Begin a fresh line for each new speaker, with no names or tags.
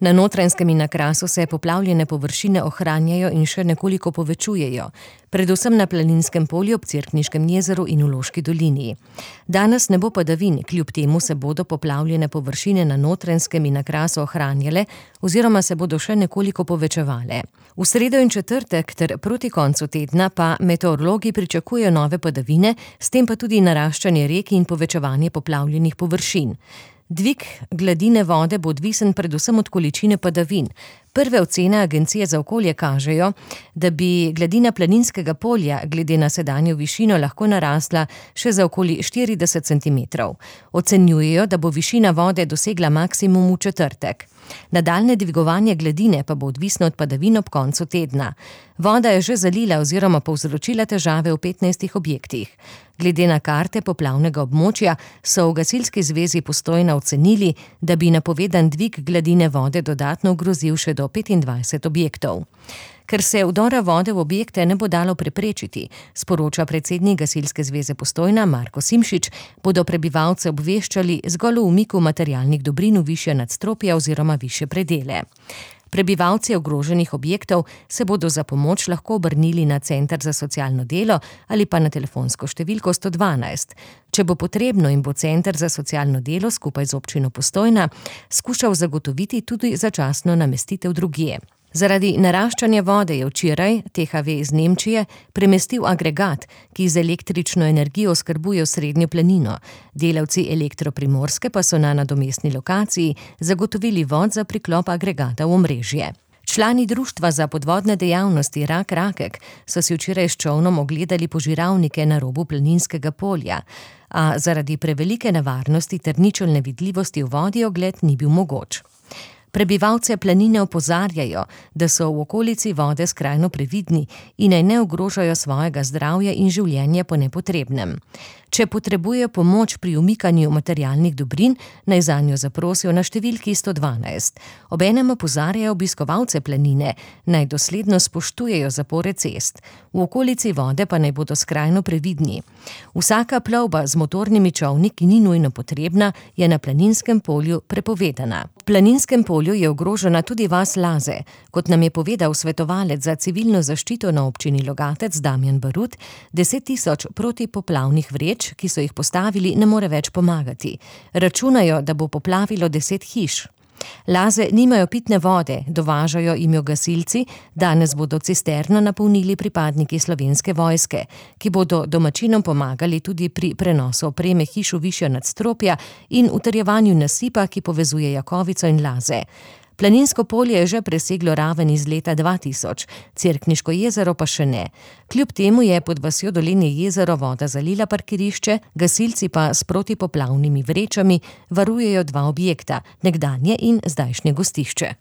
Na Notranjskem in na Krasu se poplavljene površine ohranjajo in še nekoliko povečujejo, predvsem na Planinskem polju ob Cerkniškem jezeru in v Loški dolini. Danes ne bo padavin, kljub temu se bodo poplavljene površine na Notranjskem in na Krasu ohranjale oziroma se bodo še nekoliko povečevale. V sredo in četrtek ter proti koncu tedna pa meteorologi pričakujejo nove padavine, s tem pa tudi naraščanje rek in povečevanje poplavljenih površin. Dvig gladine vode bo odvisen predvsem od količine padavin. Prve ocene Agencije za okolje kažejo, da bi gladina Planinskega polja glede na sedanjo višino lahko narasla še za okoli 40 centimetrov. Ocenjujejo, da bo višina vode dosegla maksimum v četrtek. Nadaljnje dvigovanje gladine pa bo odvisno od padavin ob koncu tedna. Voda je že zalila oziroma povzročila težave v 15 objektih. Glede na karte poplavnega območja so v Gasilski zvezi Postojna ocenili, da bi napovedan dvig gladine vode dodatno ogrozil še do 25 objektov. Ker se vdora vode v objekte ne bo dalo preprečiti, sporoča predsednik Gasilske zveze Postojna Marko Simšič, bodo prebivalce obveščali zgolj o umiku materialnih dobrin v višje nadstropja oziroma višje predele. Prebivalci ogroženih objektov se bodo za pomoč lahko obrnili na Center za socialno delo ali pa na telefonsko številko 112. Če bo potrebno in bo Center za socialno delo skupaj z občino Postojna skušal zagotoviti tudi začasno namestitev drugje. Zaradi naraščanja vode je včeraj THV iz Nemčije premestil agregat, ki z električno energijo oskrbuje Srednjo planino. Delavci Elektro Primorske pa so na nadomestni lokaciji zagotovili vod za priklop agregata v omrežje. Člani Društva za podvodne dejavnosti Rak Rakek so si včeraj s čolnom ogledali požiralnike na robu Planinskega polja, a zaradi prevelike nevarnosti ter ničelne vidljivosti v vodi ogled ni bil mogoč. Prebivalce planine opozarjajo, da so v okolici vode skrajno previdni in naj ne ogrožajo svojega zdravja in življenja po nepotrebnem. Če potrebujejo pomoč pri umikanju materialnih dobrin, naj zanjo zaprosijo na številki 112. Obenem opozarjajo obiskovalce planine, naj dosledno spoštujejo zapore cest. V okolici vode pa naj bodo skrajno previdni. Vsaka plovba z motornimi čolni, ki ni nujno potrebna, je na Planinskem polju prepovedana. V Planinskem polju je ogrožena tudi vas Laze. Kot nam je povedal svetovalec za civilno zaščito na občini Logatec Damjan Barut, 10 000 protipoplavnih vreč, ki so jih postavili, ne more več pomagati. Računajo, da bo poplavilo 10 hiš. Laze nimajo pitne vode, dovažajo jim jo gasilci, danes bodo cisterno napolnili pripadniki Slovenske vojske, ki bodo domačinom pomagali tudi pri prenosu opreme hiš v višja nadstropja in utrjevanju nasipa, ki povezuje Jakovico in Laze. Planinsko polje je že preseglo raven iz leta 2000, Cerkniško jezero pa še ne. Kljub temu je pod vasjo Dolenje jezero voda zalila parkirišče, gasilci pa s protipoplavnimi vrečami varujejo 2 objekta, nekdanje in zdajšnje gostišče.